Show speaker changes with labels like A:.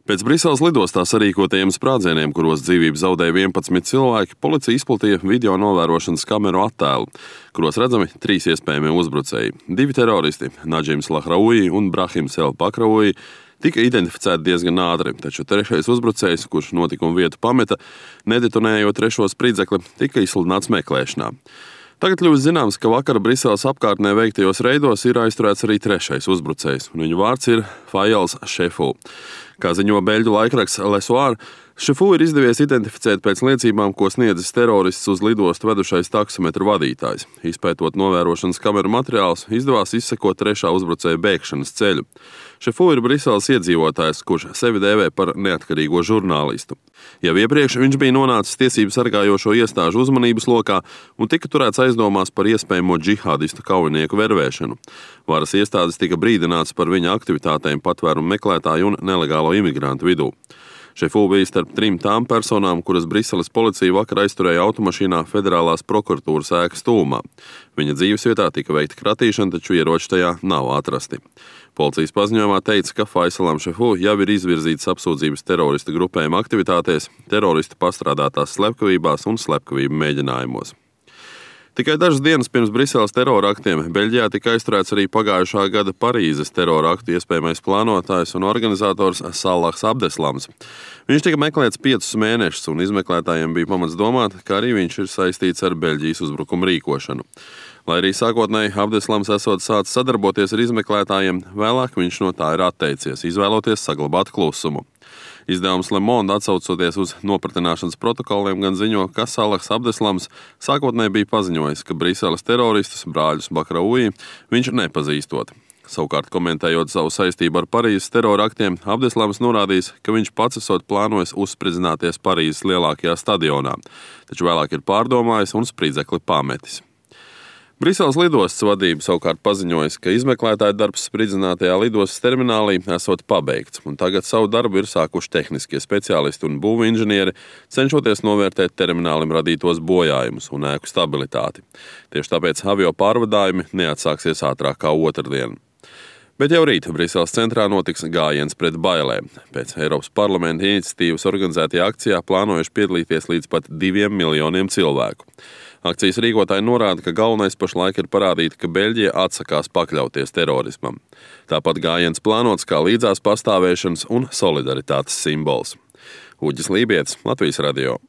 A: Pēc Briseles lidostā sarīkotajiem sprādzieniem, kuros dzīvību zaudēja 11 cilvēki, policija izplatīja video novērošanas kameru attēlu, kuros redzami 3 iespējamie uzbrucēji. 2 teroristi, Nadžims Lahraoui un Brahims El Bakraoui, tika identificēti diezgan ātri, taču 3. uzbrucējs, kurš notikuma vietu pameta, nedetonējot 3. spridzekli, tika izsludināts meklēšanā. Tagad kļūst zināms, ka vakar Briseles apkārtnē veiktajos reidos ir aizturēts arī 3. uzbrucējs, un viņu vārds ir Fayals Šefu. Kā ziņo beļģu laikraksts Le Soir, Šefu ir izdevies identificēt pēc liecībām, ko sniedzis terorists uz lidostu vedušais taksometru vadītājs. Izpētot novērošanas kameru materiālus, izdevās izsekot 3. uzbrucēja bēgšanas ceļu. Šefu ir Briseles iedzīvotājs, kurš sevi dēvē par neatkarīgo žurnālistu. Jau iepriekš viņš bija nonācis tiesību sargājošo iestāžu uzmanības lokā un tika turēts aizdomās par iespējamo džihādistu kaujinieku vervēšanu. Varas iestādes tika brīdināts par viņa aktivitātēm patvērumu meklētāju un nelegālo imigrantu vidū. Šefu bija starp 3 tām personām, kuras Briseles policija vakar aizturēja automašīnā Federālās prokuratūras ēkas tuvumā. Viņa dzīvesvietā tika veikta kratīšana, taču ieroči tajā nav atrasti. Policijas paziņojumā teica, ka Faysalam Šefu jau ir izvirzītas apsūdzības terorista grupējuma aktivitātēs, teroristu pastrādātās slepkavībās un slepkavību mēģinājumos. Tikai dažas dienas pirms Briseles terora aktiem Beļģijā tika aizturēts arī pagājušā gada Parīzes terora aktu iespējamais plānotājs un organizators Salahs Abdeslams. Viņš tika meklēts 5 mēnešus, un izmeklētājiem bija pamats domāt, ka arī viņš ir saistīts ar Beļģijas uzbrukumu rīkošanu. Lai arī sākotnēji Abdeslams esot sācis sadarboties ar izmeklētājiem, vēlāk viņš no tā ir atteicies, izvēloties saglabāt klusumu. Izdevums Le Monde, atsaucoties uz nopratināšanas protokoliem, gan ziņo, ka Salahs Abdeslams sākotnēji bija paziņojis, ka Briseles teroristus, brāļus Bakraoui, viņš nepazīstot. Savukārt, komentējot savu saistību ar Parīzes terora aktiem, Abdeslams norādījis, ka viņš pats esot plānojis uzspridzināties Parīzes lielākajā stadionā, taču vēlāk ir pārdomājis un spridzekli pametis. Briseles lidostas vadība savukārt paziņojas, ka izmeklētāja darbs spridzinātajā lidostas terminālī esot pabeigts, un tagad savu darbu ir sākuši tehniskie speciālisti un būvinženieri, cenšoties novērtēt terminālim radītos bojājumus un ēku stabilitāti. Tieši tāpēc avio pārvadājumi neatsāksies ātrāk kā otrdien. Bet jau rīt Briseles centrā notiks gājiens pret bailēm. Pēc Eiropas parlamenta iniciatīvas organizētajā akcijā plānojuši piedalīties līdz pat 2 miljoniem cilvēku. Akcijas rīkotāji norāda, ka galvenais pašlaik ir parādīt, ka Beļģija atsakās pakļauties terorismam. Tāpat gājiens plānots kā līdzās pastāvēšanas un solidaritātes simbols. Uģis Lībietis, Latvijas radio.